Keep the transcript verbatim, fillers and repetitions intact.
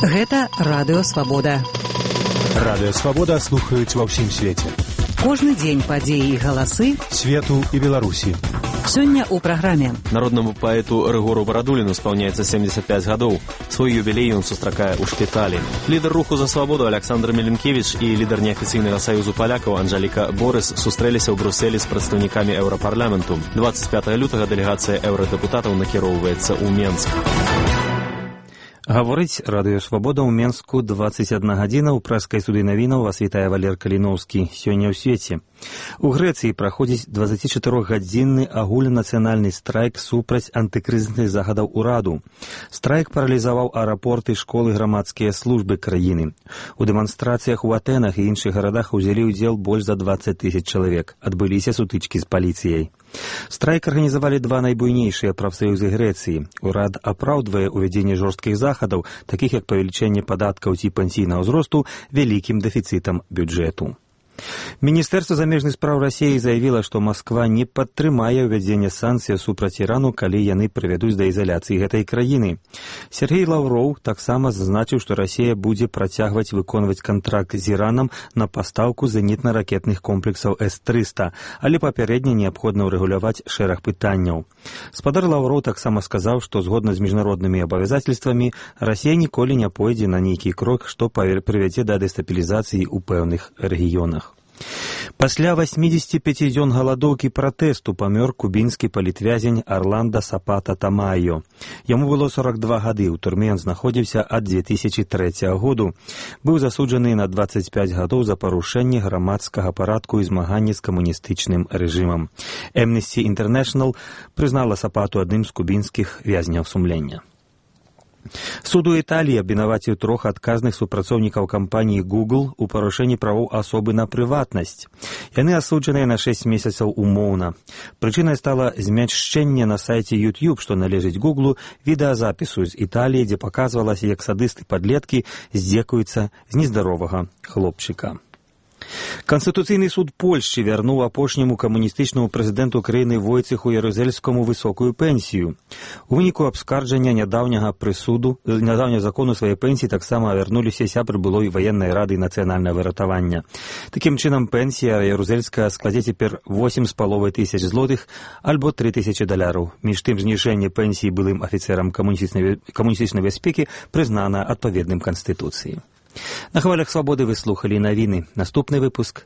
Гэта Радыё Свабода. Радыё Свабода слухаюць ва ўсім свеце. Кожны дзень падзеі і галасы свету і Беларусі. Сёння ў праграме. Народнаму паэту Рыгору Барадуліну спаўняецца семьдесят пять гадоў. Свой юбілей ён сустракае ў шпіталі. Лідар руху за свабоду Александр Меленкевич і лідар неафіцыйнага саюзу палякаў Анжеліка Борыс сустрэліся ў Брюсселі з прадстаўнікамі еўрапарламенту. двадцать пятого лютага дэлегацыя еўрадэпутатаў накіроўваецца ў Менск. Гаворыць Радыё Свабода ў Менску двадцать одна гадзіна. У прэскай студыі навінаў вас вітае Валер Каліноўскі. Сёння ў свеце. У Грэцыі праходзіць дваццацічатырохгадзінны агульнанацыянальны страйк супраць антыкрызісных загадаў ураду. Страйк паралізаваў аэрапорты, школы, грамадскія службы краіны. У дэманстрацыях у Атэнах і іншых гарадах узялі ўдзел больш за двадцать тысяч чалавек. Адбыліся сутычкі з паліцыяй. Страйк арганізавалі два найбуйнейшыя прафсаюзы Грэцыі. Урад апраўдвае ўвядзенне жорсткіх захадаў, такіх як павелічэнне падаткаў ці пенсійнага ўзросту, вялікім дэфіцытам бюджэту. Міністэрства замежных спраў Расіі заявіла, што Масква не падтрымае ўвядзенне санкцый супраць Ірану, калі яны прывядуць да ізаляцыі гэтай краіны. Сергей Лаўроў таксама зазначыў, што Расія будзе працягваць выконваць кантракт з Іранам на пастаўку зенітна-ракетных комплексаў эс трыста, але папярэдне неабходна ўрэгуляваць шэраг пытанняў. Спадар Лаўроў таксама сказаў, што згодна з міжнароднымі абавязацельствамі Расія ніколі не пойдзе на нейкі крок, што прывядзе да дэстабілізацыі ў пэўных рэгіёнах. Пасля восьмидесяти пяти дзён галадоўкі пратэсту памёр кубінскі палітвязень Арландо Сапата Тамайо. Яму было сорок два гады, у турме ён знаходзіўся ад две тысячи трэцяга году. Быў засуджаны на двадцать пять гадоў за парушэнне грамадскага парадку і змаганне з камуністычным рэжымам. Amnesty International прызнала Сапату адным з кубінскіх вязняў сумлення. Суд у Італіі абвінаваціў трох адказных супрацоўнікаў кампаніі Google у парушэнні правоў асобы на прыватнасць. Яны асуджаныя на шэсць месяцаў умоўна. Прычынай стала змяшчэнне на сайце YouTube, што належыць Google, відэазапісу з Італіі, дзе паказвалася, як садысты-падлеткі здзекуюцца з нездаровага хлопчыка. Канстытуцыйны суд Польшчы вярнуў апошняму камуністычнаму прэзідэнту краіны Войцеху Ярузельскаму высокую пенсію. У выніку абскарджання нядаўняга прысуду, нядаўняга закону сваёй пенсіі таксама вярнуліся сябры былой ваеннай рады нацыянальнага выратавання. Такім чынам пенсія Ярузельская складзе цяпер восемь з паловай тысяч злотых альбо тры тысячы даляраў. Між тым зніжэнне пенсіі былым афіцэрам камуністычнай бяспекі прызнана адпаведным канстытуцыі. На хвалях свабоды вы слухалі навіны. Наступны выпуск